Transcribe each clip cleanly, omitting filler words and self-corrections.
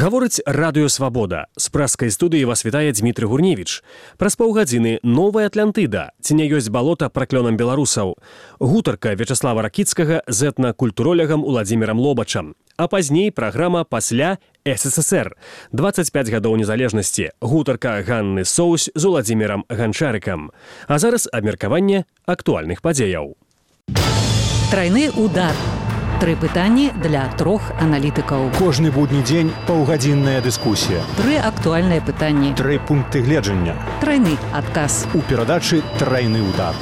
Гаворыць Радыё Свабода. З прэскай студыі вас вітае Дмітрый Гурневіч. Праз паўгадзіны новая Атлантыда. Ці не ёсць балота праклёнам беларусаў. Гутарка Вячаслава Ракіцкага з этна-культуролягам Уладзімірам Лобачам. А пазней праграма «Пасля СССР». 25 гадоў незалежнасці. Гутарка Ганны Соусь з Уладзімірам Ганчарыкам. А зараз абмеркаванне актуальных падзеяў. Трайны удар. 3 пытанні для 3 аналітыкаў. Кожны будні дзень паўгадзінная дыскусія. 3 актуальныя пытанні. 3 пункты гледжання. Трайны адказ. У перадачы «Трайны удар».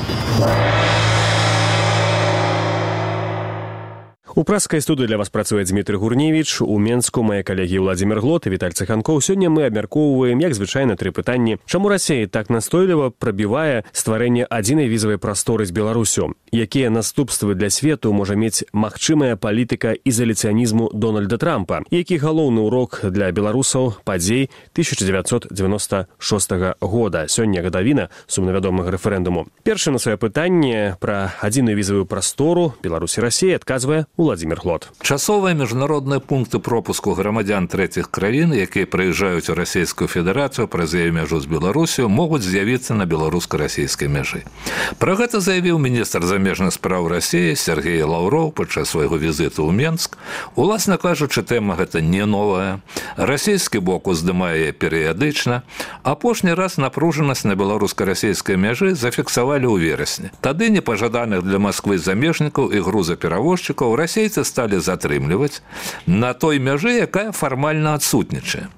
У прэскай студыі для вас працуе Дмітрый Гурневіч. У Менску мае калегі Уладзімір Глот і Віталь Цыханкоў. Сёння мы абмяркоўваем, як звычайна, 3 пытанні. Чаму Расія так настойліва прабівае стварэнне адзінай візавай прасторы з Беларусю? Якія наступствы для свету можа мець магчымая палітыка ізаляцыянізму Дональда Трампа? Які галоўны урок для беларусаў падзей 1996 года? Сёння гадавіна сумнавядомага рэферэндуму. Першае на сваё пытанне пра адзіную візавую прастору Беларусь і Расія адказвае Уладзімір Глот. Часовыя міжнародныя пункты пропуску грамадзян трэціх краін, якія прыязджаюць у Расійскую Федэрацыю праз яе мяжу з Беларусю, могуць з'явіцца на беларуска-расійскай мяжы. Пра гэта заявіў міністр замежных спраў Расіі Сергей Лаўроў падчас свайго візіту ў Менск. Уласна кажучы, тэма гэта не новая. Расійскі бок уздымае перыядычна. Апошні раз напружанасць на беларуска-расійскай мяжы зафіксавалі ў верасні. Тады непажаданых для Масквы замежнікаў і грузаперавозчыкаў расейцы сталі затрымліваць на той мяжы, якая фармальна адсутнічае.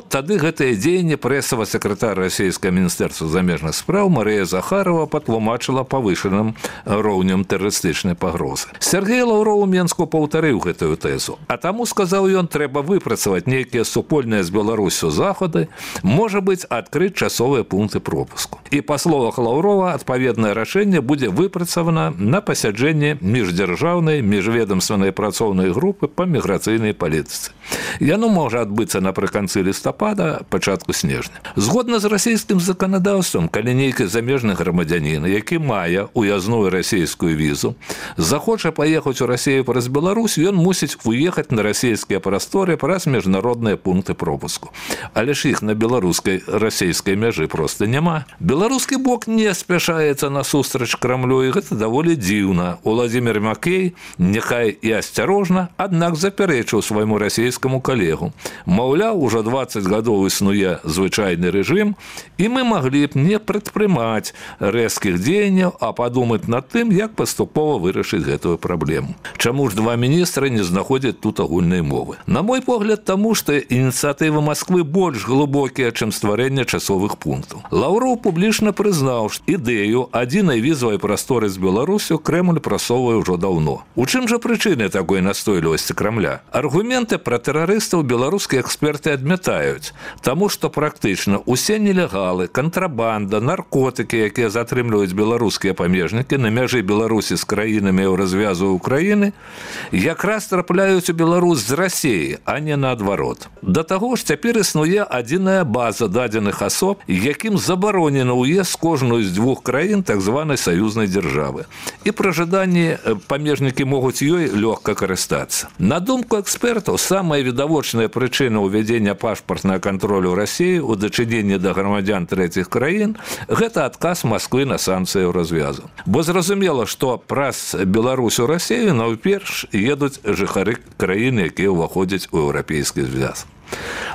Тады гэтае дзеянне прэсавы сакратар расійскага міністэрства замежных спраў Марыя Захарова патлумачыла павышаным роўнем тэрарыстычнай пагрозы. Сергей Лаўроў у Менску паўтарыў гэтую тэзу, а таму, сказаў ён, трэба выпрацаваць нейкія супольныя з Беларусю захады, можа быць, адкрыць часовыя пункты пропуску. І па словах Лаўрова, адпаведнае рашэнне будзе выпрацавана на пасяджэнні міждзяржаўнай міжведамственнай працоўнай групы па міграцыйнай палітыцы. Яно можа адбыцца напрыканцы лістапада, пачатку снежня. Згодна з расійскім заканадаўствам, калі нейкі замежны грамадзянін, які мае уязную расійскую візу, захоча паехаць у Расію праз Беларусь, ён мусіць уехаць на расійскія прасторы праз міжнародныя пункты пропуску. Але ж іх на беларускай расійскай мяжы проста няма. Беларускі бок не спяшаецца насустрач Крамлю, і гэта даволі дзіўна. Уладзімір Макей, няхай і асцярожна, аднак запярэчыў свайму расійскаму калегу. Маўляў, ужо 20 гадоў існуе звычайны рэжым, і мы маглі б не прадпрымаць рэзкіх дзеянняў, а падумаць над тым, як паступова вырашыць гэтую праблему. Чаму ж 2 міністры не знаходзяць тут агульнай мовы? На мой погляд, таму, што ініцыятывы Масквы больш глыбокія, чым стварэнне часовых пунктаў. Лаўроў публічна прызнаў, што ідэю адзінай візавай прасторы з Беларусю Крэмль прасоўвае ўжо даўно. У чым жа прычыны такой настойлівасці Крамля? Аргументы пра тэрарыстаў беларускія эксперты адмятаюць, таму што практычна усе нелегалы, кантрабанда, наркотыкі, якія затрымліваюць беларускія памежнікі на мяжы Беларусі з краінамі ў развязу Украіны, якраз трапляюць у Беларусь з Расіі, а не наадварот. Да таго ж цяпер існуе адзіная база дадзеных асоб, якім забаронена ўезд з кожную з 2 краін так званай саюзнай дзяржавы. І пры жаданні памежнікі могуць ёй лёгка карыстацца. На думку экспертаў, самая відавочная прычына ўвядзення пашпартнага кантролю Расіі ў дачыненні да грамадзян трэціх краін – гэта адказ Масквы на санкцыі ў развязу. Бо зразумела, што праз Беларусь у Расію найперш едуць жыхары краін, якія ўваходзяць у еўрапейскі звяз.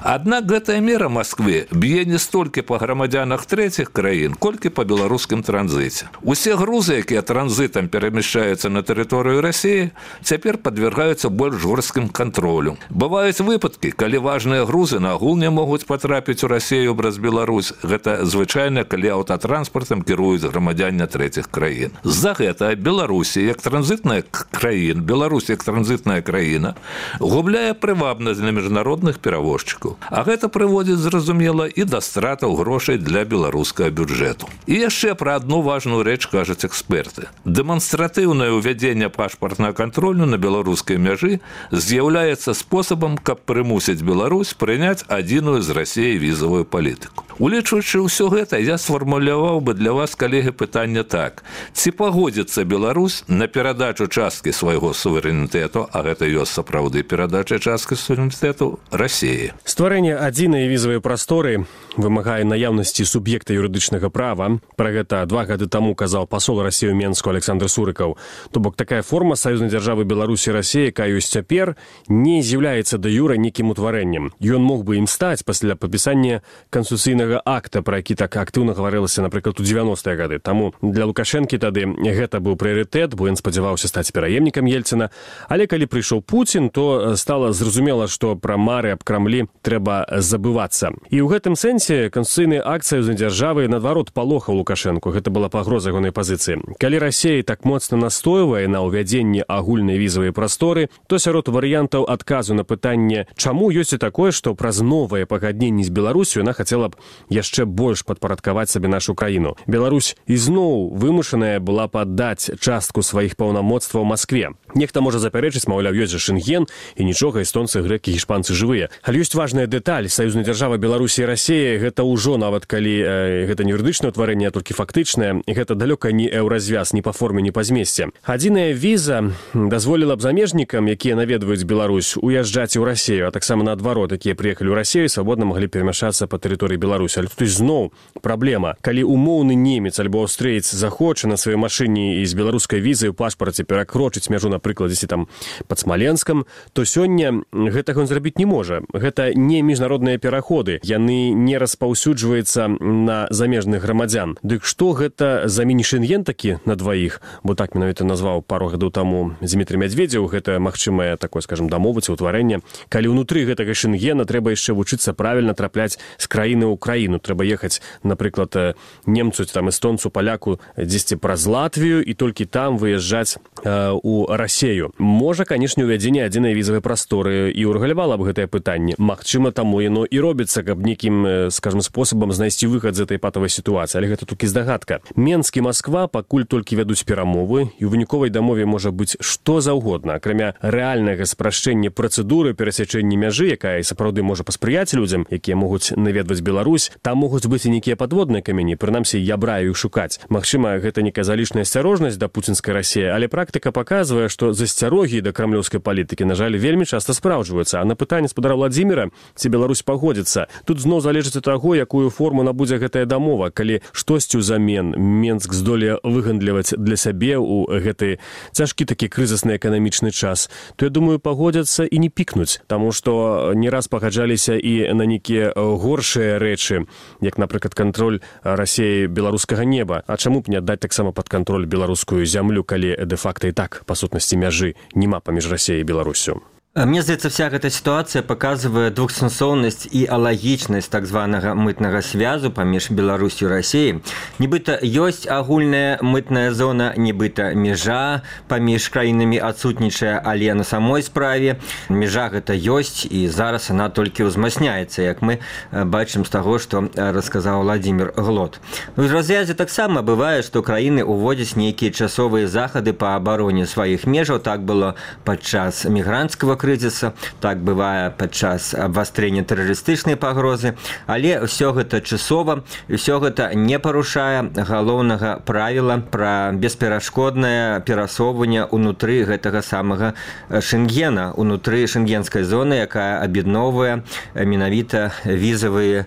Аднак гэтая мера Масквы б'е не столькі па грамадзянах трэціх краін, колькі па беларускім транзіце. Усе грузы, якія транзітам перамяшчаюцца на тэрыторыю Расіі, цяпер падвяргаюцца больш жорсткім кантролю. Бываюць выпадкі, калі важныя грузы нагул не могуць патрапіць у Расію праз Беларусь. Гэта звычайна, калі аўтатранспартам кіруюць грамадзяне трэціх краін. З-за гэта Беларусі, як транзітная краіна, Беларусь як транзітная краіна, губляе прывабнасць для міжнародных перавозчыкаў. А гэта прыводзіць, зразумела, і да стратаў грошай для беларускага бюджэту. І яшчэ пра адну важную рэч кажуць эксперты. Дэманстратыўнае ўвядзенне пашпартнага кантролю на беларускай мяжы з'яўляецца спосабам, каб прымусіць Беларусь прыняць адзіную з Расіі візавую палітыку. Улічваючы ўсё гэта, я сфармуляваў бы для вас, калегі, пытанне так. Ці пагодзіцца Беларусь на перадачу часткі свайго суверэнітэту, а гэта ёсць сапраўды перадача часткі суверэнітэту Расіі? падзеі. Стварэнне адзінай візавай прасторы вымагае наяўнасці суб'екта юрыдычнага права. Пра гэта 2 гады таму казаў пасол Расіі ў Менску Александр Сурыкаў. То бок такая форма саюзнай дзяржавы Беларусі і Расіі, якая ёсць цяпер, не з'яўляецца да юра нейкім утварэннем. Ён мог бы ім стаць пасля падпісання канстытуцыйнага акта, пра які так актыўна гаварылася, напрыклад, у 90-е гады. Таму для Лукашэнкі тады гэта быў прыярытэт, бо ён спадзяваўся стаць пераемнікам Ельціна. Але калі прыйшоў Пуцін, то стала зразумела, што пра мары аб Крамлі трэба забывацца. І ў гэтым сэнсе канстытуцыйны акт саюзнай дзяржавы наадварот палохаў Лукашэнку. Гэта была пагроза ягонай пазіцыі. Калі Расія так моцна настойвае на ўвядзенні агульнай візавай прасторы, то сярод варыянтаў адказу на пытанне, чаму ёсць і такое, што праз новае пагадненне з Беларусю яна хацела б яшчэ больш падпарадкаваць сабе нашу краіну. Беларусь ізноў вымушаная была б аддаць частку сваіх паўнамоцтваў Маскве. Нехта можа запярэчыць, маўляў, ёсць жа Шэнген, і нічога, эстонцы, грэкі, гішпанцы жывыя. Але ёсць важная дэталь. Саюзная дзяржава Беларусі і Расія, гэта ўжо, нават калі гэта не юрыдычнае ўтварэнне, а толькі фактычнае, гэта далёка не еўразвяз ні па форме, ні па змесце. Адзіная віза дазволіла б замежнікам, якія наведваюць Беларусь, уязджаць у Расію, а таксама наадварот, якія прыехалі ў Расію, свабодна маглі перамяшацца па тэрыторыі Беларусі. Але тут зноў праблема. Калі умоўны немец альбо аўстрыец захоча на сваёй машыне і з беларускай візай у пашпарце перакрочыць мяжу, напрыклад, дзесьці там пад Смаленскам, то сёння гэтага ён зрабіць не можа. Гэта не міжнародныя пераходы. Яны не распаўсюджваюцца на замежных грамадзян. Дык што гэта за міні-шэнген такі на дваіх? Бо так менавіта назваў пару гадоў таму Дзмітрый Мядзведзеў. Гэта магчымае такое, скажем, дамовы ці ўтварэнне. Калі ўнутры гэтага шэнгена трэба яшчэ вучыцца правільна трапляць з краіны ў краіну. Трэба ехаць, напрыклад, немцу, там, эстонцу, паляку дзесьці праз Латвію і толькі там выязджаць у Расію. Можа, канешне, увядзенне адзінай візавай прасторы і ўрэгулявала б гэтае пытанне. Магчыма, таму яно і робіцца, каб нейкім, скажем, спосабам знайсці выхад з этой патавай сітуацыі. Але гэта толькі здагадка. Менск і Масква пакуль толькі вядуць перамовы, і ў выніковай дамове можа быць што заўгодна. Акрамя рэальнага спрашчэння працэдуры перасячэння мяжы, якая сапраўды можа паспрыяць людзям, якія могуць наведваць Беларусь, там могуць быць і нейкія падводныя камені, прынамсі, я браю іх шукаць. Магчыма, гэта некая залішняя асцярожнасць да пуцінскай Расіі, але практыка паказвае, што засцярогі да крамлёўскай палітыкі, на жаль, вельмі часта спраўджваюцца. А на пытанне спадара Владзіміра, ці Беларусь пагодзіцца, тут зноў залежыць ад таго, якую форму набудзе гэтая дамова. Калі штосьці ўзамен Менск здолее выгандліваць для сябе ў гэты цяжкі такі крызісны эканамічны час, то, я думаю, пагодзяцца і не пікнуць, таму што не раз пагаджаліся і на нейкія горшыя рэчы, як, напрыклад, кантроль Расіі беларускага неба. А чаму б не аддаць таксама пад кантроль беларускую зямлю, калі дэ-факта і так, па сутнасці, мяжы няма паміж Расіяй і Беларусю? Мне здаецца, вся гэта сітуацыя паказвае двухсэнсоўнасць і алагічнасць так званага мытнага звязу паміж Беларусю і Расіяй. Нібыта ёсць агульная мытная зона, нібыта мяжа паміж краінамі адсутнічае, але на самой справе мяжа гэта ёсць, і зараз яна толькі ўзмацняецца, як мы бачым з таго, што расказаў Владзімір Глот. У развязе таксама бывае, што краіны ўводзяць нейкія часовыя захады па абароне сваіх межаў. Так было падчас мігранцкага крызіса, так бывае падчас абвастрэння тэрарыстычнай пагрозы, але ўсё гэта часова, ўсё гэта не парушае галоўнага правіла пра бесперашкоднае перасоўванне ўнутры гэтага самага Шэнгена, ўнутры шэнгенскай зоны, якая аб'ядноўвае менавіта візава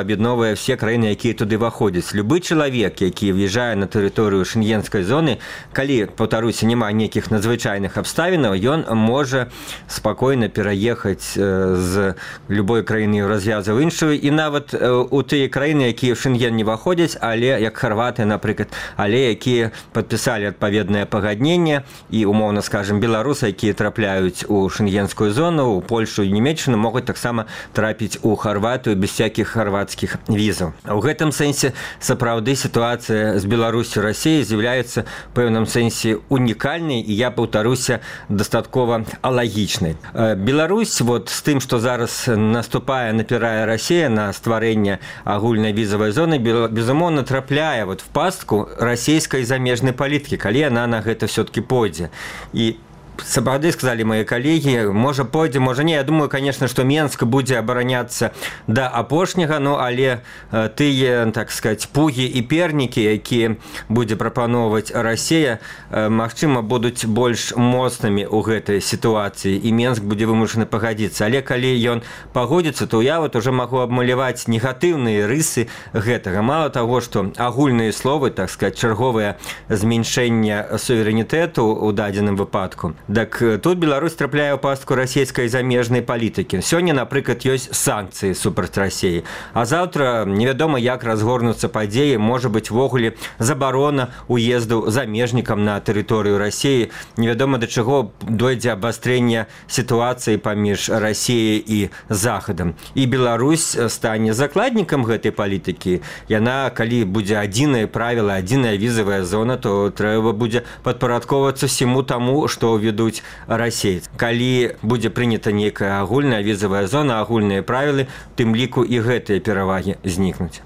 аб'ядноўвае все краіны, якія туды выходзяць. Любы чалавек, які в'язджае на тэрыторыю шэнгенскай зоны, калі, паўтаруся, няма нейкіх надзвычайных абставінаў, ён можа спакойна пераехаць з любой краіны развязу ў іншую, і нават у тыя краіны, якія ў Шэнген не выходзяць, але як Харватыя, напрыклад, але якія падпісалі адпаведнае пагадненне, і, умоўна скажем, беларусы, якія трапляюць у шэнгенскую зону, у Польшу і Нямецчыну, могуць таксама трапіць у Харватыю без всякіх харвацкіх візаў. У гэтым сэнсе сапраўды сітуацыя з Беларусю і Расіяй з'яўляецца ў пэўным сэнсе унікальнай, і я паўтаруся, дастаткова алагічнай. Беларусь вот з тым, што зараз наступае, напірае Расія на стварэнне агульнай візавай зоны, безумоўна, трапляе вот в пастку расійскай замежнай палітыкі, калі яна на гэта все-таки пойдзе. І сапраўды сказалі мои калегі, можа пойдзе, можа не. Я думаю, конечно, што Менск будзе абараняцца да апошняга, ну але тыя, так сказать, пугі і пернікі, якія будзе прапановваць Расія, магчыма, будуць больш моцнымі ў гэтай сітуацыі, і Менск будзе вымушаны пагадзіцца. Але калі ён пагодзіцца, то я вот уже магу абмаляваць негатыўныя рысы гэтага. Мало таго, што агульныя словы, так сказать, чарговае зменшэнне суверэнітэту ў дадзеным выпадку, так тут Беларусь трапляе ў пастку расійскай замежнай палітыкі. Сёння, напрыклад, ёсць санкцыі супраць Расіі, а заўтра невядома, як разгорнуцца падзеі, можа быць ввогуле забарона уезду замежнікам на тэрыторыю Расіі. Невядома, да чаго дойдзе абвастрэнне сітуацыі паміж Расіяй і Захадам. І Беларусь стане закладнікам гэтай палітыкі. Яна, калі будзе адзінае правіла, адзіная візавая зона, то трэба будзе падпарадковацца всему таму, што ўведуць расейцы. Калі будзе прынята нейкая агульная візавая зона, агульныя правілы, тым ліку і гэтыя перавагі знікнуць.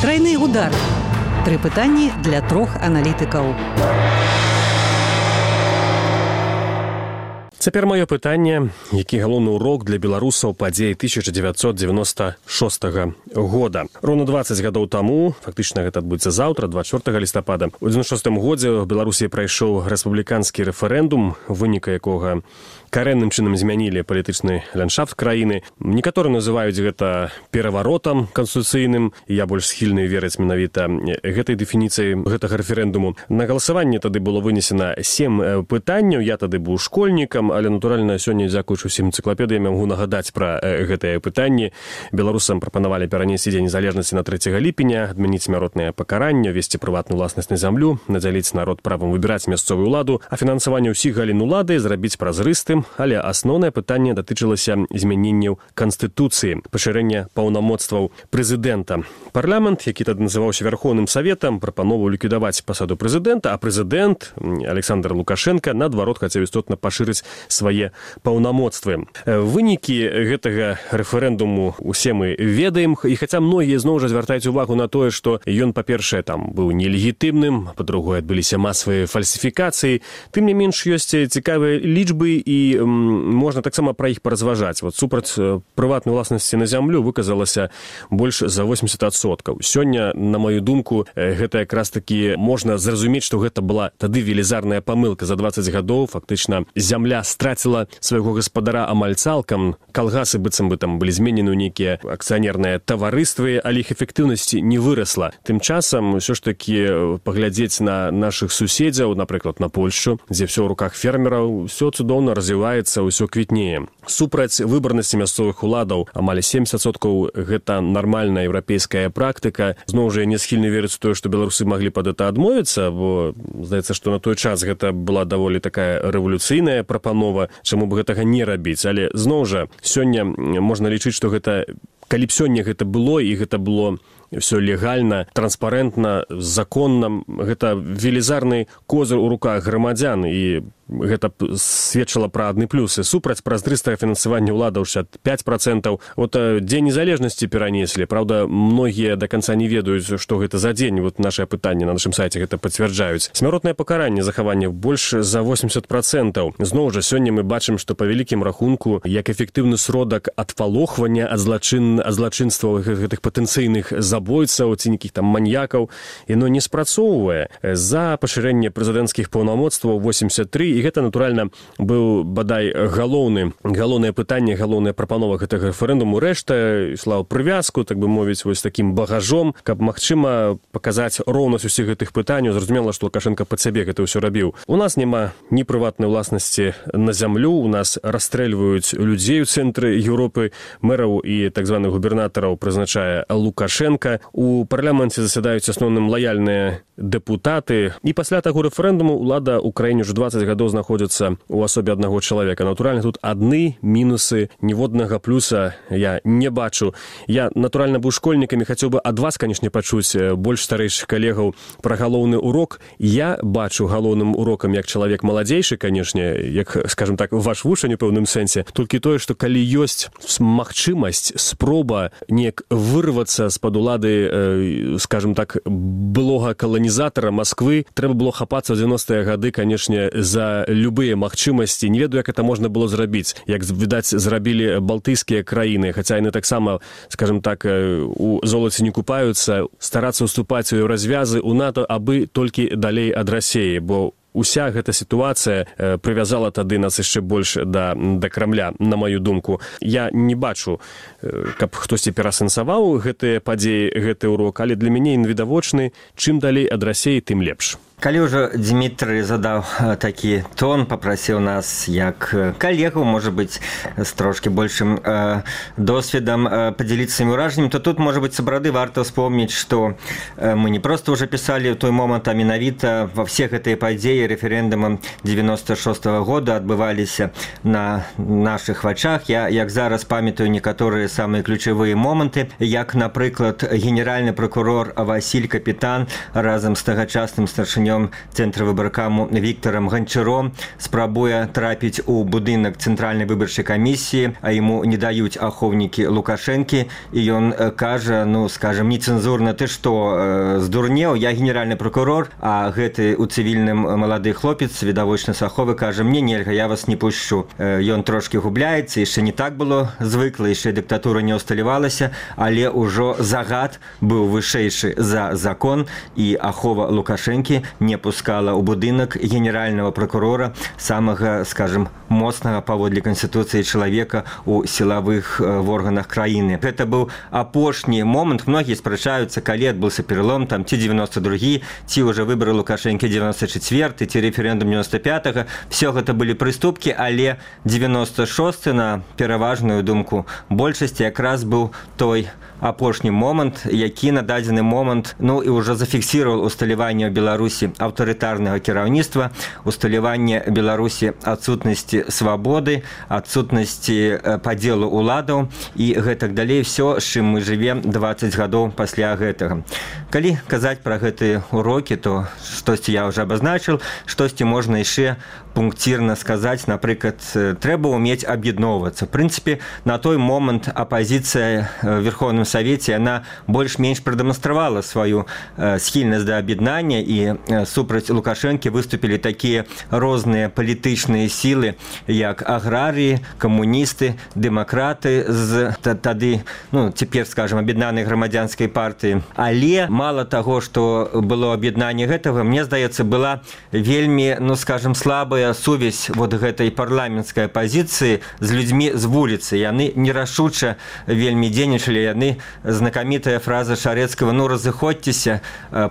Трайны удар. 3 пытанні для 3 аналітыкаў. Цяпер маё пытанне, які галоўны урок для беларусаў падзей 1996 года. Роўна 20 гадоў таму, фактычна гэта адбудзецца заўтра, 24 лістапада, у 96 годзе ў Беларусі прайшоў рэспубліканскі рэферэндум, выніка якога карэнным чынам змянілі палітычны ландшафт краіны. Некаторыя называюць гэта пераваротам канстытуцыйным, і я больш схільны верыць менавіта гэтай дэфініцыі гэтага рэферэндуму. На галасаванне тады было вынесена 7 пытанняў, я тады быў школьнікам, але, натуральна, сёння, дзякуючы ўсім энцыклапедыям, магу нагадаць пра гэтыя пытанні. Беларусам прапанавалі перанесці дзень незалежнасці на 3 ліпеня, адмяніць смяротнае пакаранне, весці прыватную ўласнасць на зямлю, надзяліць народ правам выбіраць мясцовую ўладу, а фінансаванне ўсіх галін улады зрабіць празрыстым, але асноўнае пытанне датычылася змяненняў Канстытуцыі, пашырэння паўнамоцтваў прэзідэнта. Парламент, які тады называўся Вярхоўным Саветам, прапановаў ліквідаваць пасаду прэзідэнта, а прэзідэнт Александр Лукашенко, наадварот, хацеў істотна пашырыць свае паўнамоцтвы. Вынікі гэтага рэферэндуму усе мы ведаем, і хаця многія зноў жа звяртаюць увагу на тое, што ён, па-першае, там быў нелегітымным, па-другое, адбыліся масавыя фальсіфікацыі, тым не менш ёсць цікавыя лічбы, і можна таксама пра іх паразважаць. Вот супраць прыватнай уласнасці на зямлю выказалася больш за 80%. Сёння, на маю думку, гэта якраз такі можна зразумець, што гэта была тады велізарная памылка. За 20 гадоў фактычна зямля страціла свайго гаспадара амаль цалкам. Калгасы быццам бы там былі зменены ў нейкія акцыянерныя таварыствы, але іх эфектыўнасці не вырасла. Тым часам ўсё ж такі паглядзець на нашых суседзяў, напрыклад, на Польшчу, дзе ўсё ў руках фермераў, ўсё цудоўна развіваецца, ўсё квітнее. Супраць выбарнасці мясцовых уладаў амаль 70% гэта нармальная еўрапейская практыка. Зноў жа, я не схільны верыць у тое, што беларусы маглі пад гэта адмовіцца, бо здаецца, што на той час гэта была даволі такая рэвалюцыйная прапанова, чаму б гэтага не рабіць. Але зноў жа, сёння можна лічыць, што гэта, калі б сёння гэта было, і гэта было все легальна, транспарентна, законна, гэта велізарны козыр у руках грамадзян, і гэта сведчыла пра адны плюсы. Супраць празрыстага фінансавання ўладаў 65%. Вот дзень незалежнасці перанеслі. Праўда, многія да канца не ведаюць, што гэта за дзень. Вот нашае пытанне на нашым сайце гэта пацвярджаюць. Смяротнае пакаранне захавання больш за 80%. Зноў жа, сёння мы бачым, што па вялікім рахунку, як эфектыўны сродак адпалохвання ад злачынстваў гэтых патэнцыйных забойцаў ці нейкіх там маньякаў, яно не спрацоўвае. За пашырэнне прэзідэнцкіх паўнамоцтваў 83, і гэта, натуральна, быў бадай галоўнае пытанне, галоўная прапанова гэтага рэферэндуму. Рэшта ішла ў прывязку, так бы мовіць, вось такім багажом, каб, магчыма, паказаць роўнасць усіх гэтых пытанняў. Зразумела, што Лукашенко пад сябе гэта ўсё рабіў. У нас няма ні прыватнай уласнасці на зямлю, у нас расстрэльваюць людзей у цэнтры Еўропы, мэраў і так званых губернатараў прызначае Лукашенко. У парламенце засядаюць асноўным лаяльныя дэпутаты. І пасля таго рэферэндуму ўлада ў краіне ўжо 20 гадоў знаходзіцца ў асобе аднаго чалавека. Натуральна, тут адны мінусы, ніводнага плюса я не бачу. Я, натуральна, быў школьнікам і хацеў бы ад вас, канешне, пачуць больш старэйшых калегаў пра галоўны урок. Я бачу галоўным урокам як чалавек маладзейшы, канешне, як, скажем так, ваш вучань у пэўным сэнсе. Толькі тое, што калі ёсць магчымасць, спроба неяк вырвацца з-пад улады, скажем так, былога каланізатара Масквы, трэба было хапацца ў 90-е гады, канешне, за мела любыя магчымасці, не ведаю, як это можна было зрабіць, як, відаць, зрабілі балтыйскія краіны, хаця яны таксама, скажем так, у золаце не купаюцца, старацца ўступаць у развязы у НАТО, абы толькі далей ад Расіі, бо уся гэта сітуацыя прывязала тады нас яшчэ больш да Крамля, на маю думку. Я не бачу, каб хтосьці перасэнсаваў гэтыя падзеі, гэты урок, але для мяне ён відавочны, чым далей ад Расіі, тым лепш. Калі ўжо Дмітрый задаў такі тон, папрасіў нас як калегу, можа быць, з трошкі большым досведам падзяліцца сваімі ўражаннямі, то тут, можа быць, сапраўды варта ўспомніць, што мы не проста ўжо пісалі ў той момант, а менавіта ва все гэтыя падзеі рэферэндумам 96-го года адбываліся на нашых вачах. Я, як зараз, памятаю некаторыя самыя ключавыя моманты, як, напрыклад, генеральны прокурор Васіль Капітан разам з тагачасным старшынём Цэнтра выбаркаму Віктарам Ганчаром спрабуе трапіць у будынак Цэнтральнай выбарчай камісіі, а яму не даюць ахоўнікі Лукашэнкі, і ён кажа, ну, скажем, нецэнзурна: ты што, здурнеў, я генеральны прокурор, а гэты у цывільным малады хлопец, відавочна саховы, кажа: мне нельга, я вас не пушчу. Ён трошкі губляецца, яшчэ не так было звыкла, яшчэ дыктатура не ўсталявалася, але ўжо загад быў вышэйшы за закон, і ахова Лукашэнкі не пускала ў будынак генеральнага прокурора, самага, скажем, моцнага паводле Канстытуцыі чалавека у сілавых органах краіны. Гэта быў апошні момант. Многія спрачаюцца, калі адбыўся пералом, там, ці 92-гі, ці ўжо выбары Лукашэнкі 94-й, ці рэферэндум 95-го. Все гэта былі прыступкі, але 96-й, на пераважную думку большасці, якраз быў той апошні момант, які на дадзены момант, ну, і ўжо зафіксіраваў усталяванне ў Беларусі аўтарытарнага кіраўніцтва, усталяванне Беларусі адсутнасці свабоды, адсутнасці падзелу уладаў і гэтак далей, все, з чым мы жывем 20 гадоў пасля гэтага. Калі казаць пра гэтыя урокі, то штосьці я ўжо абазначыў, штосьці можна яшчэ пунктирно сказаць. Напрыклад, трэба ўмець аб'ядноўвацца. В прынцыпе, на той момант апазіцыя в Верховным Савеце, яна больш-менш прадэманстравала сваю схільнасць да аб'яднання, і супраць Лукашэнкі выступілі такія розныя палітычныя сілы, як аграрыі, камуністы, дэмакраты з тады, ну, цяпер, скажем, аб'яднанай грамадзянскай партыі. Але мала таго, што было аб'яднанне гэтага, мне здаецца, была вельмі, ну, скажем, слабая сувязь вот гэтай парламенцкай апазіцыі з людзьмі з вуліцы. Яны нерашуча вельмі дзейнічалі. Яны, знакамітая фраза Шарэцкага: ну, разыходзьцеся,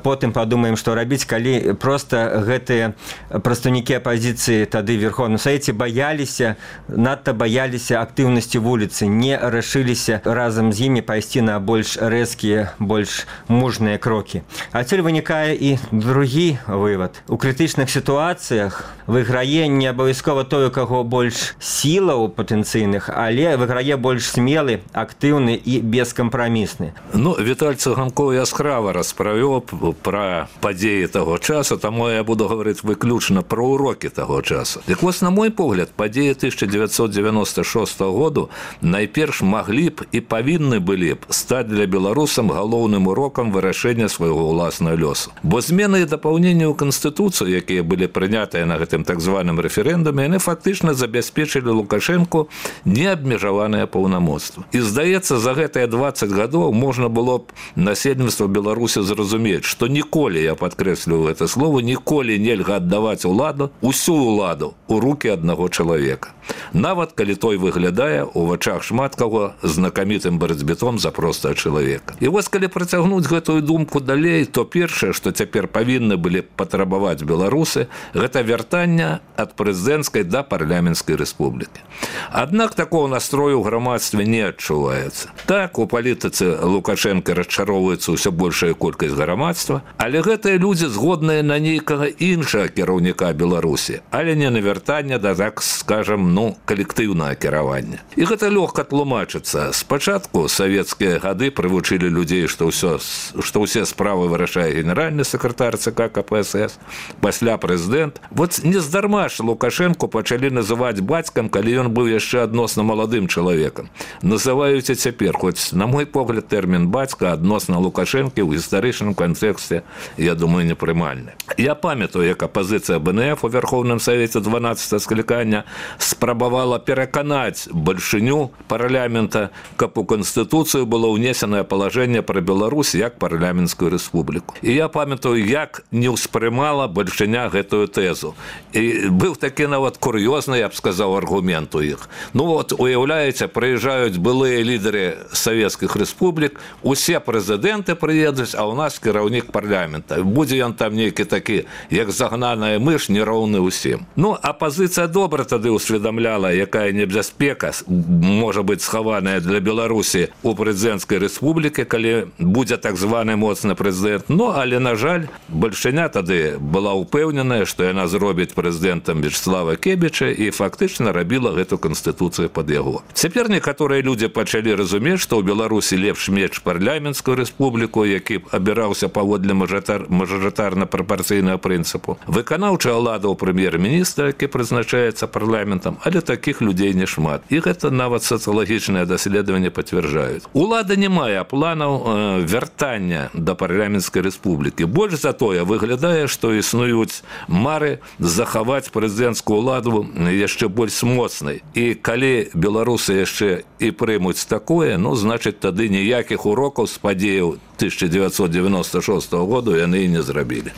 потым падумаем, што рабіць, калі проста гэтыя прадстаўнікі апазіцыі тады в Верховным Савеце баяліся, надта баяліся актыўнасці вуліцы, не рашыліся разам з імі пайсці на больш рэзкія, больш мужныя крокі. Адсюль вынікае і другі вывад. У крытычных сітуацыях выйграе не абавязкова той, у каго больш сілаў патэнцыйных, але выйграе больш смелы, актыўны і бескампрамісны. Ну, Віталь Цыганкоў яскрава распавёў пра падзеі таго часу, таму я буду гаварыць выключна пра урокі таго часу. Дык вось, на мой погляд, падзеі 1996 году найперш маглі б і павінны былі б стаць для беларусам галоўным урокам вырашэння свайго ўласнага лёсу. Бо змены і дапаўненні ў Канстытуцыю, якія былі прынятыя на гэтым так званым рэферэндуме, яны фактычна забяспечылі Лукашэнку неабмежаваныя паўнамоцтвы. І, здаецца, за гэтыя 20 гадоў можна было б насельніцтва Беларусі зразумець, што ніколі, я падкрэсліваю гэта слово, ніколі нельга аддаваць уладу, усю уладу у рукі аднаго чалавека. Нават калі той выглядае у вачах шмат каго знакамітым барацьбітом за простага чалавека. І вось калі працягнуць гэтую думку далей, то першае, што цяпер павінны былі патрабаваць беларусы, гэта вяртанне ад прэзідэнцкай да парламенцкай рэспублікі. Аднак такого настрою ў грамадстве не адчуваецца. Так, у палітыцы Лукашэнка расчароўваецца ўсё большая колькасць грамадства, але гэтыя людзі згодныя на нейкага іншага кіраўніка Беларусі, але не на вяртанне да, так скажем, ну, калектыўнага кіравання. І гэта лёгка тлумачыцца. Спачатку савецкія гады прывучылі людзей, што ўсе справы вырашае генеральны сакратар ЦК КПСС, пасля прэзідэнт. Вот нездарма Нездарма ж Лукашенко пачалі называць бацькам, калі ён быў яшчэ адносна маладым чалавекам. Называюць і цяпер, хоць, на мой погляд, тэрмін бацька адносна Лукашэнкі ў гістарычным кантэксце, я думаю, непрымальны. Я памятаю, як апазіцыя БНФ у Верховным Савеце 12 склікання спрабавала пераканаць бальшыню парламента, каб у Канстытуцыю было ўнесенае палажэнне пра Беларусь як парламенцкую рэспубліку. І я памятаю, як не ўспрымала бальшыня гэтую тэзу. І быў такі нават кур'ёзны, я б сказаў, аргумент у іх. Ну вот, уяўляеце, прыязджаюць былыя лідары савецкіх рэспублік, усе прэзідэнты прыедуць, а ў нас кіраўнік парламента. Будзе ён там нейкі такі, як загнаная мыш, нероўны ўсім. Ну, апазіцыя добра тады усведамляла, якая небяспека можа быць схаваная для Беларусі у прэзідэнцкай рэспублікі, калі будзе так званы моцны прэзідэнт. Ну, але, на жаль, бальшыня тады была ўпэўненая, што яна зробіць прэзідэнтам Вячеслава Кебіча і фактычна рабіла гэту канстытуцыю пад яго. Цяпер некаторыя людзі пачалі разумець, што ў Беларусі лепш меч парламенцкую рэспубліку, які абіраўся паводле мажарытарна-прапарцыйнага прынцыпу. Выканаўчая ўлада ў прэм'ер-міністра, які прызначаецца парламентам, але такіх людзей не шмат. І гэта нават сацыялагічныя даследаванні пацвярджаюць. Улада не мае планаў вяртання да парламенцкай рэспублікі. Больш за тое, выглядае, што існуюць мары захаваць прэзідэнцкую ўладу яшчэ больш моцнай. І калі беларусы яшчэ і прымуць такое, ну, значыць, тады ніякіх урокаў з падзеяў 1996 году яны і не зрабілі.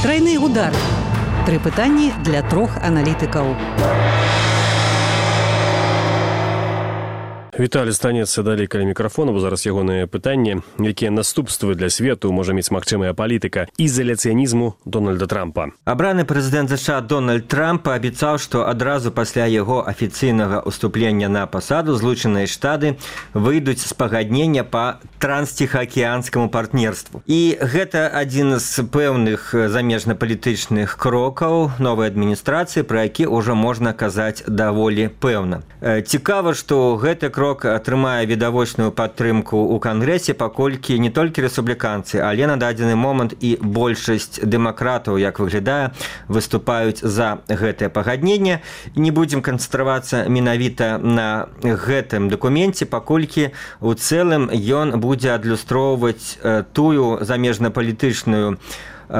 Трайны удар. 3 пытанні для 3 аналітыкаў. Віталій станецца далей каля мікрафона, бо зараз ягоныя пытанні, якія наступствы для свету можа мець магчымая палітыка ізаляцыянізму Дональда Трампа. Абраны прэзідэнт США Дональд Трамп паабяцаў, што адразу пасля яго афіцыйнага ўступлення на пасаду Злучаныя Штаты выйдуць з пагаднення па трансціхаакіянскаму партнерству. І гэта адзін з пэўных замежнапалітычных крокаў новай адміністрацыі, пра які ўжо можна казаць даволі пэўна. Цікава, што гэты крок атрымае відавочную падтрымку ў Кангрэсе, паколькі не толькі рэспубліканцы, але на дадзены момант і большасць дэмакратаў, як выглядае, выступаюць за гэтае пагадненне. Не будзем канцэнтравацца менавіта на гэтым дакуменце, паколькі у цэлым ён будзе адлюстроўваць тую замежнапалітычную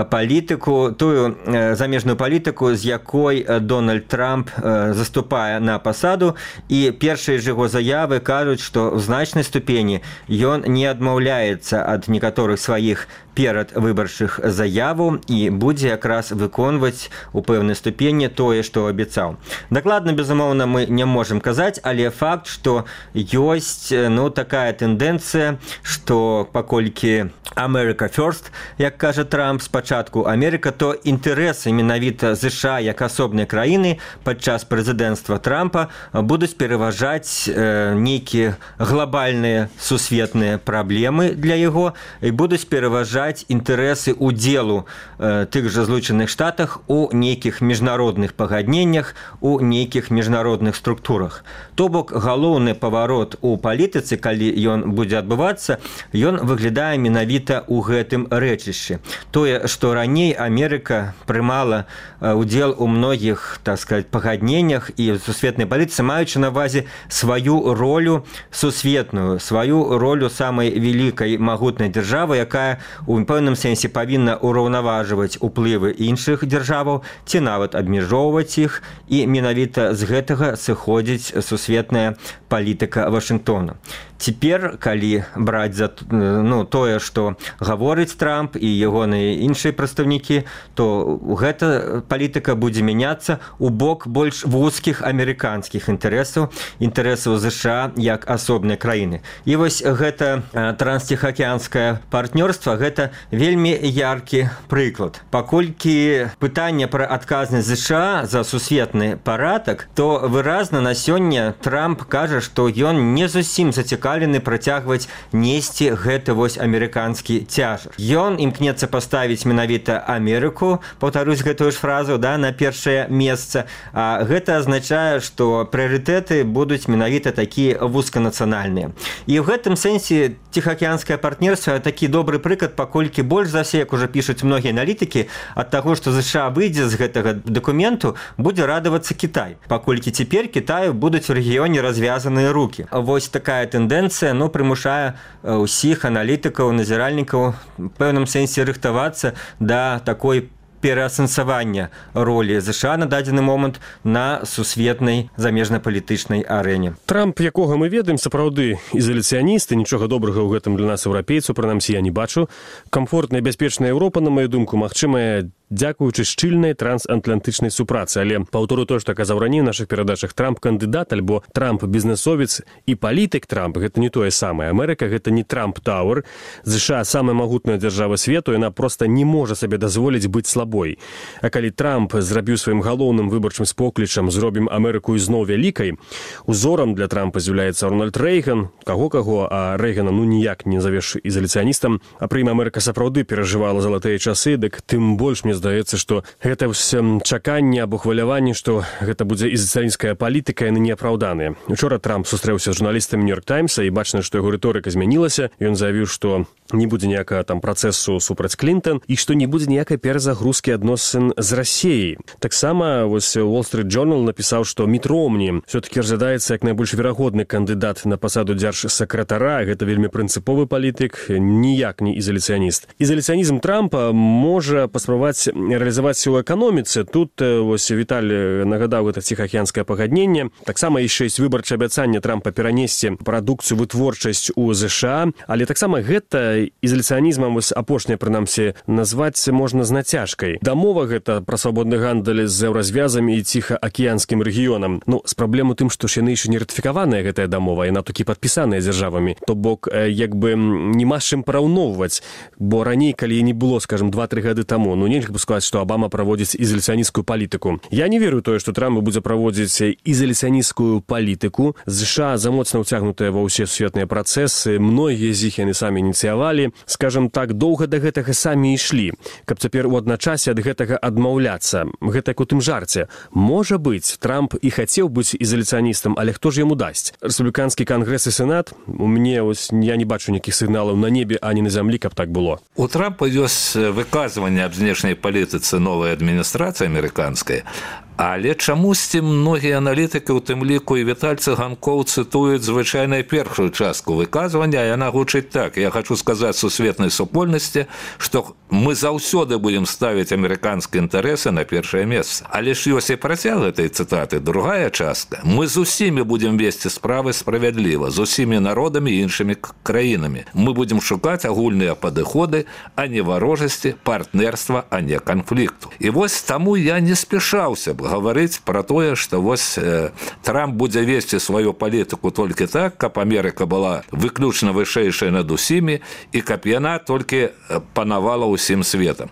палітыку, тую замежную палітыку, з якой Дональд Трамп заступае на пасаду, і першыя ж яго заявы кажуць, што ў значнай ступені ён не адмаўляецца ад некаторых сваіх перадвыбарчых заяваў і будзе якраз выконваць у пэўнай ступені тое, што абяцаў. Дакладна, безумоўна, мы не можам казаць, але факт, што ёсць такая тэндэнцыя, што паколькі America First, як кажа Трамп, спачатку Америка, то інтарэсы менавіта США як асобнай краіны падчас прэзідэнцтва Трампа будуць пераважаць нейкія глобальныя сусветныя праблемы для яго і будуць пераважаць інтарэсы удзелу тых жа Злучаных Штатах у нейкіх міжнародных пагадненнях, у нейкіх міжнародных структурах. То бок галоўны паварот у палітыцы, калі ён будзе адбывацца, ён выглядае менавіта ў гэтым рэчышчы. Тое, што раней Амерыка прымала удзел у многіх, так сказать, пагадненнях і сусветнай палітыцы, маючы на ўвазе сваю ролю сусветную, сваю ролю самай вялікай магутнай дзяржавы, якая у пэўным сэнсе павінна ўраўнаважваць уплывы іншых дзяржаваў ці нават абмяжоўваць іх, і менавіта з гэтага сыходзіць сусветная палітыка Вашынгтона. Цяпер, калі браць за тое, што гаворыць Трамп і ягоныя іншыя прадстаўнікі, то гэта палітыка будзе мяняцца ў бок больш вузкіх амерыканскіх інтарэсаў, інтарэсаў США як асобнай краіны. І вось гэта трансціхаакіянскае партнёрства, гэта вельмі яркі прыклад. Паколькі пытанне пра адказнасць США за сусветны парадак, то выразна на сёння Трамп кажа, што ён не зусім зацікаўлены працягваць несці гэты вось амерыканскі цяжар. Ён імкнецца паставіць ставіць менавіта Амерыку, паўтарусь гэтую ж фразу, да, на першае месца. Гэта азначае, што прыярытэты будуць менавіта такія вузканацыянальныя. І ў гэтым сэнсе ціхаакіянскае партнерства такі добры прыклад, паколькі больш за все, як ужо пішуць многія аналітыкі, ад таго, што ЗША выйдзе з гэтага дакументу, будзе радавацца Кітай, паколькі цяпер Кітаю будуць у рэгіёне развязаныя рукі. Вось такая тэндэнцыя, прымушае ўсіх аналітыкаў, назіральнікаў в пэўным сэнсе рыхтавацца да такой пераасэнсавання ролі ЗША на дадзены момант на сусветнай замежна-палітычнай арэне. Трамп, якога мы ведаем, сапраўды ізаляцыяніст, і нічога добрага ў гэтым для нас, еўрапейцаў, прынамсі, я не бачу. Камфортная і бяспечная Еўропа, на маю думку, магчымая дзякуючы шчыльнай трансатлантычнай супрацы. Але паўтору то, што казаў раней у нашых перадачах, Трамп кандыдат альбо Трамп бізнесовец і палітык Трамп, гэта не тое самае. Амерыка гэта не Трамп Тауэр. ЗША самая магутная дзяржава свету, яна проста не можа сабе дазволіць быць слабой. А калі Трамп зрабіў сваім галоўным выбарчым споклічам «Зробім Амерыку ізноў вялікай», узорам для Трампа з'яўляецца Рональд Рэйган, каго-каго, а Рэйгана ніяк не завеш ізаляцыяністам. А пры ім Амерыка сапраўды перажывала залатыя часы, дык тым больш мне здаецца, што гэта чаканне або хваляванне, што гэта будзе ізаляцыянская палітыка, яны неапраўданыя. Учора Трамп сустрэўся з журналістамі «Нью-Йорк Таймса», і бачна, што яго рыторыка змянілася. Ён заявіў, што не будзе ніякага там працэсу супраць Клінтон і што не будзе ніякай перазагрузкі адносін з Расіяй. Таксама вось Wall Street Journal напісаў, што Міт Ромні все-таки разглядаецца як найбольш верагодны кандыдат на пасаду дзяржсакратара. Гэта вельмі прынцыповы палітык, ніяк не ізаляцыяніст. Ізаляцыянізм Трампа можа паспрабаваць реалізаваць у эканоміцы. Тут вось Віталь нагадаў гэта ціхаакіянскае пагадненне. Таксама яшчэ ёсць выбарчае абяцанне Трампа перанесці прадукцыю, вытворчасць у ЗША, але таксама гэта ізаляцыянізмам вось апошняе, прынамсі, назваць можна з нацяжкай. Дамова гэта пра свабодны гандаль з еўразвязамі і ціхаакіянскім рэгіёнам. З праблем у тым, што ж яны яшчэ не ратыфікаваная гэтая дамова, яна толькі падпісаная дзяржавамі. То бок, як бы няма з чым параўноўваць, бо раней, калі не было, скажем, 2-3 гады таму, нельга б сказаць, што Абама праводзіць ізаляцыянісцкую палітыку. Я не веру тое, што Трамп будзе праводзіць ізаляцыянісцкую палітыку. ЗША замоцна ўцягнутыя ва ўсе сусветныя працэсы, многія з іх яны самі ініцыявалі. Скажем так, доўга да гэтага самі ішлі. Каб цяпер у адначасе ад гэтага адмаўляцца. Гэта як у тым жарце. Можа быць, Трамп і хацеў быць ізаляцыяністам, але хто ж яму дасць? Рэспубліканскі кангрэс і сенат? У мяне я не бачу ніякіх сігналаў на небе, ані на зямлі, каб так было. У Трампа ёсць выказванне аб знешняй палітыцы новай адміністрацыі амерыканскай, але чамусьці многія аналітыкі, у тым ліку і Віталь Цыганкоў, цытуюць звычайна першую частку выказвання, яна гучыць так: я хочу сказаць сусветнай супольнасці, што мы заўсёды будем ставіць амерыканскія інтарэсы на першае месца. Але ж ёсць і працяг гэтай цытаты, другая частка: мы з усімі будем весці справы справядліва, з усімі народамі і іншымі краінамі. Мы будем шукаць агульныя падыходы, а не варожасці, партнерства, а не канфлікту. І вось таму я не спяшаўся б гаварыць пра тое, што вось Трамп будзе весці сваю палітыку толькі так, каб Амерыка была выключна вышэйшая над усімі і каб яна толькі панавала ўсім светам.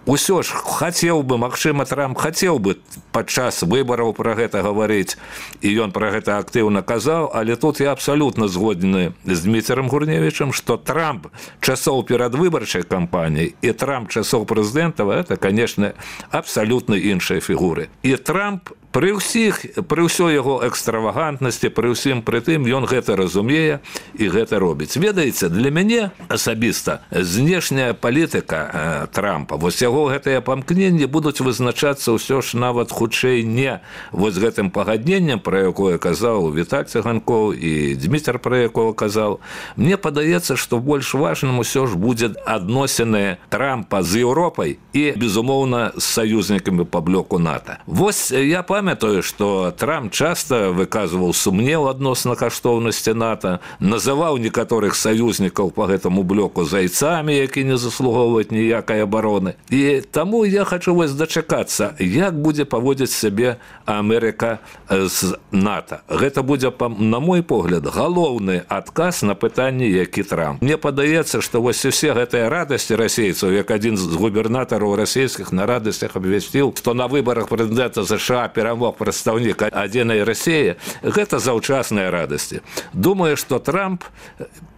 Усё ж хацеў бы, магчыма, Трамп хацеў бы падчас выбараў пра гэта гаварыць, і ён пра гэта актыўна казаў, але тут я абсалютна згодны з Дмітром Гурневічем, што Трамп часоў перадвыбарчай кампаніі і Трамп часоў прэзідэнтаў — гэта, канешне, абсалютна іншыя фігуры. І Трамп пры ўсёй яго экстравагантнасці, пры ўсім пры тым, ён гэта разумее і гэта робіць. Ведаеце, для мяне асабіста знешняя палітыка Трампа, вось яго гэтыя памкненні будуць вызначацца ўсё ж нават хутчэй не вось гэтым пагадненнем, пра якое казаў Віталь Цыганкоў і Дмітр пра якого казаў. Мне падаецца, што больш важным усё ж будзе адносіны Трампа з Еўропай і, безумоўна, з саюзнікамі па блоку НАТО. Вось я памятаю, што Трамп часта выказваў сумнеў адносна каштоўнасці НАТО, называў некаторых саюзнікаў па гэтаму блоку зайцамі, які не заслугоўваюць ніякай абароны. І таму я хачу вось дачакацца, як будзе паводзіць сябе Амерыка з НАТО. Гэта будзе, на мой погляд, галоўны адказ на пытанне, які Трамп. Мне падаецца, што вось усе гэтыя радасці расейцаў, як адзін з губернатараў расійскіх на радасцях абвясціў, што на выбарах прэзідэнта ЗША перамог прадстаўнік адзінай Расіі, гэта заўчасныя радасці. Думаю, што Трамп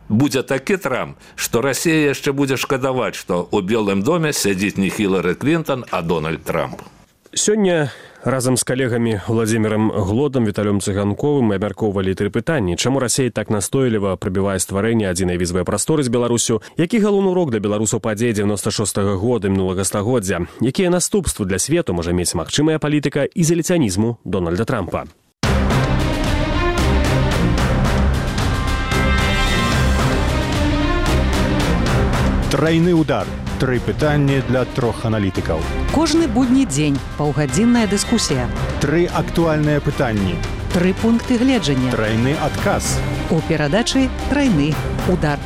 будзе такі Трамп, што Расія яшчэ будзе шкадаваць, што ў Белым доме сядзіць не Хілары Клінтон, а Дональд Трамп. Сёння разам з калегамі Владзімірам Глодам, Віталём Цыганковым мы абмяркоўвалі 3 пытанні. Чаму Расія так настойліва прабівае стварэнне адзінай візавай прасторы з Беларусю? Які галоўны урок для беларусаў падзей 96-го года мінулага стагоддзя? Якія наступствы для свету можа мець магчымая палітыка ізаляцыянізму Дональда Трампа? Трайны удар. 3 пытанні для 3 аналітыкаў. Кожны будні дзень паўгадзінная дыскусія. 3 актуальныя пытанні. 3 пункты гледжання. Трайны адказ. У перадачы «Трайны удар».